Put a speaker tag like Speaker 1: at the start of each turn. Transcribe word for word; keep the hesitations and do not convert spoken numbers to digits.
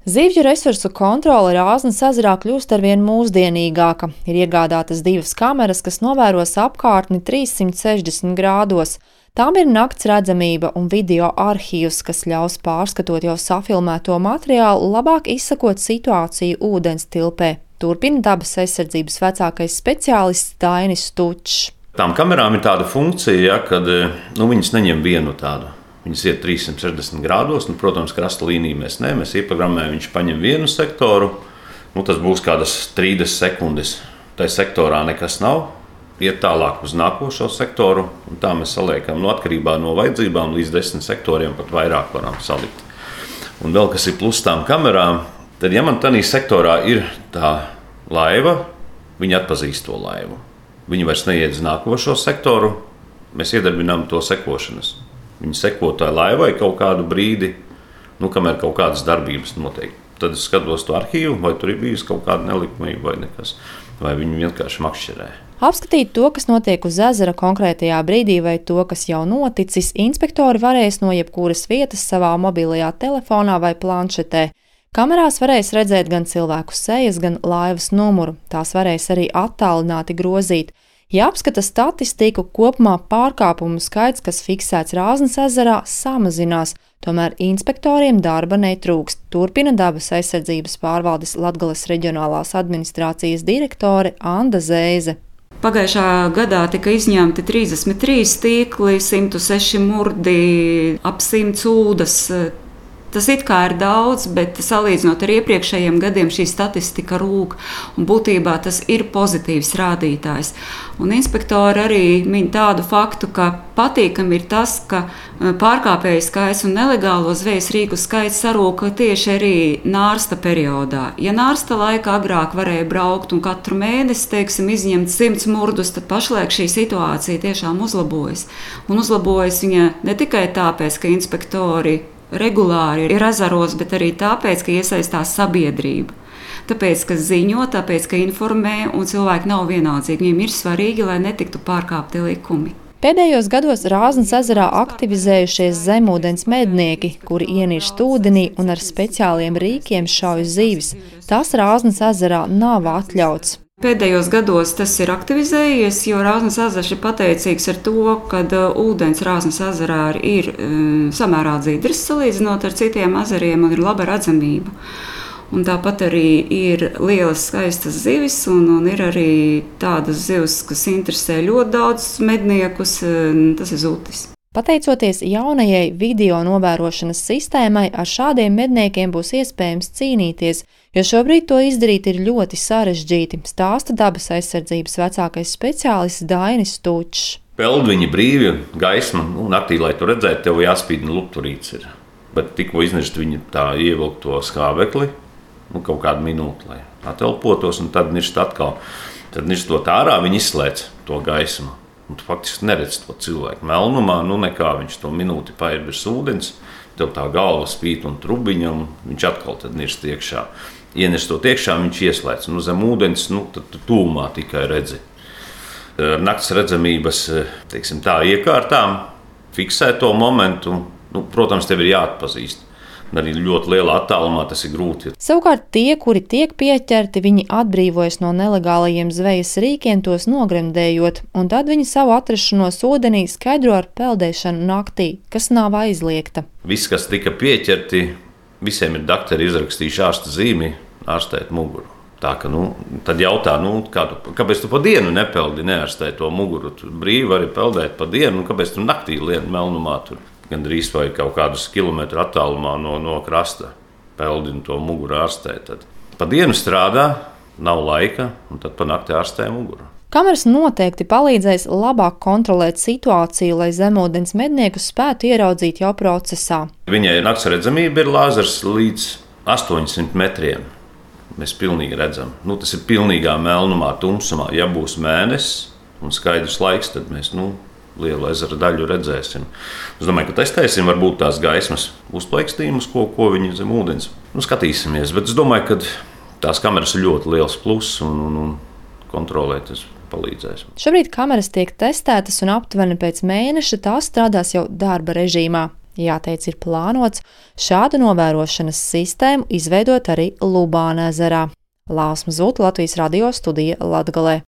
Speaker 1: Zivju resursu kontrole Rāznas ezerā kļūst arvien mūsdienīgāka. Ir iegādātas divas kameras, kas novēros apkārtni trīssimt sešdesmit grādos. Tām ir nakts redzamība un video arhīvs, kas ļaus pārskatot jau safilmēto materiālu, labāk izsakot situāciju ūdens tilpē. Turpina dabas aizsardzības vecākais speciālists Dainis Stučs.
Speaker 2: Tām kamerām ir tāda funkcija, ja, kad nu, viņas neņem vienu tādu. Viņas iet trīssimt sešdesmit grādos, nu, protams, krasta līniju mēs ne, mēs ieprogrammējam, viņš paņem vienu sektoru, nu, tas būs kādas trīsdesmit sekundes. Tai sektorā nekas nav, iet tālāk uz nākošo sektoru, un tā mēs saliekam, no atkarībā no vajadzībām līdz desmit sektoriem pat vairāk varam salikt. Un vēl kas ir plus tām kamerām, tad, ja man tādā sektorā ir tā laiva, viņi atpazīst to laivu. Viņi vairs neiet uz nākošo sektoru, mēs iedarbinām to sekošanas. Viņi seko tai laivai kaut kādu brīdi, nu, kamēr kaut kādas darbības notiek. Tad es skatos to arhīvu, vai tur ir bijusi kaut kāda nelikumība vai nekas, vai viņi vienkārši makšķerē.
Speaker 1: Apskatīt to, kas notiek uz ezera konkrētajā brīdī, vai to, kas jau noticis, inspektori varēs no jebkuras vietas savā mobilajā telefonā vai planšetē. Kamerās varēs redzēt gan cilvēku sejas, gan laivas numuru. Tās varēs arī attālināti grozīt. Ja apskata statistiku, kopumā pārkāpumu skaits, kas fiksēts Rāznas ezerā, samazinās, tomēr inspektoriem darba netrūkst, turpina dabas aizsardzības pārvaldes Latgales reģionālās administrācijas direktore Anda Zēze.
Speaker 3: Pagājušā gadā tika izņemti trīsdesmit trīs tīkli, simt seši murdi, ap simts ūdas. Tas it kā ir daudz, bet salīdzinot ar iepriekšējiem gadiem šī statistika rūk, un būtībā tas ir pozitīvs rādītājs. Un inspektori arī min tādu faktu, ka patīkami ir tas, ka pārkāpēju skaits un nelegālo zvejas rīku skaits sarūka tieši arī nārsta periodā. Ja nārsta laikā agrāk varēja braukt un katru mēnesi, teiksim, izņemt simts murdus, tad pašlaik šī situācija tiešām uzlabojas. Un uzlabojas viņa ne tikai tāpēc, ka inspektori regulāri ir ezeros, bet arī tāpēc, ka iesaistās sabiedrība. Tāpēc, ka ziņo, tāpēc, ka informē, un cilvēki nav vienaldzīgi. Viņiem ir svarīgi, lai netiktu pārkāpti likumi.
Speaker 1: Pēdējos gados Rāznas ezerā aktivizējušies zemūdens mednieki, kuri ienirst ūdenī un ar speciāliem rīkiem šauj zivis. Tas Rāznas ezerā nav atļauts.
Speaker 3: Pēdējos gados tas ir aktivizējies, jo Rāznas ezers ir pateicīgs ar to, ka ūdens Rāznas ezerā ir um, samērā dzidrs salīdzinot ar citiem ezeriem un ir laba redzamība. Un tāpat arī ir lielas skaistas zivis un, un ir arī tādas zivis, kas interesē ļoti daudz medniekus, tas ir zutis.
Speaker 1: Pateicoties jaunajai video novērošanas sistēmai, ar šādiem medniekiem būs iespējams cīnīties, jo šobrīd to izdarīt ir ļoti sarežģīti, stāsta dabas aizsardzības vecākais speciālists Dainis Stučs.
Speaker 2: Peld viņi brīvi, gaisma, nu, naktī, lai tu redzētu, tev jāspīd lupturīts ir. Bet tikko iznirst viņi tā ievilkt to skābekli, nu, kaut kādu minūti, lai atelpotos, un tad nirst atkal. Tad nirstot ārā, viņi izslēdz to gaismu. Un tu faktiski neredz to cilvēku melnumā, nu nekā viņš to minūti paiet bez ūdens, tev tā galva spīt un trubiņa, un viņš atkal tad nirst iekšā. Ienestot iekšā, viņš ieslēdz. Nu, zem ūdens, nu, tad tūmā tikai redzi. Ar nakts redzamības, teiksim tā, iekārtām fiksē to momentu, nu, protams, tev ir jāatpazīst. Arī ļoti lielā attālumā tas ir grūti.
Speaker 1: Savukārt tie, kuri tiek pieķerti, viņi atbrīvojas no nelegālajiem zvejas rīkiem, tos nogremdējot, un tad viņi savu atrašanos ūdenī skaidro ar peldēšanu naktī, kas nav aizliegta.
Speaker 2: Viss, kas tika pieķerti, visiem ir daktari izrakstījuši ārsta zīmi, ārstēt muguru. Tā ka, nu, tad jautā, nu, kā tu, kāpēc tu pa dienu nepeldi, neārstēt to muguru? Tu brīvi vari peldēt pa dienu, un kāpēc tu naktī lien melnumā tur? Gan drīz vai kaut kādus kilometru attālumā no, no krasta peldi un to muguru ārstē. Tad pa dienu strādā, nav laika, un tad pa nakti ārstē muguru.
Speaker 1: Kameras noteikti palīdzēs labāk kontrolēt situāciju, lai zemūdens medniekus spētu ieraudzīt jau procesā.
Speaker 2: Viņai nakts redzamība ir lāzers līdz astoņsimt metriem. Mēs pilnīgi redzam. Nu, tas ir pilnīgā melnumā, tumsumā. Ja būs mēnesis un skaidrs laiks, tad mēs, nu, lielu ezera daļu redzēsim. Es domāju, ka testēsim varbūt tās gaismas uzplaikstījumus, ko, ko viņi zem ūdens. Nu, skatīsimies, bet es domāju, ka tās kameras ir ļoti liels pluss un, un, un kontrolēt tas palīdzēs.
Speaker 1: Šobrīd kameras tiek testētas un aptuveni pēc mēneša tās strādās jau darba režīmā. Jāteic, ir plānots šādu novērošanas sistēmu izveidot arī Lubāna ezerā. Lāsma Zūta, Latvijas radio studija Latgalē.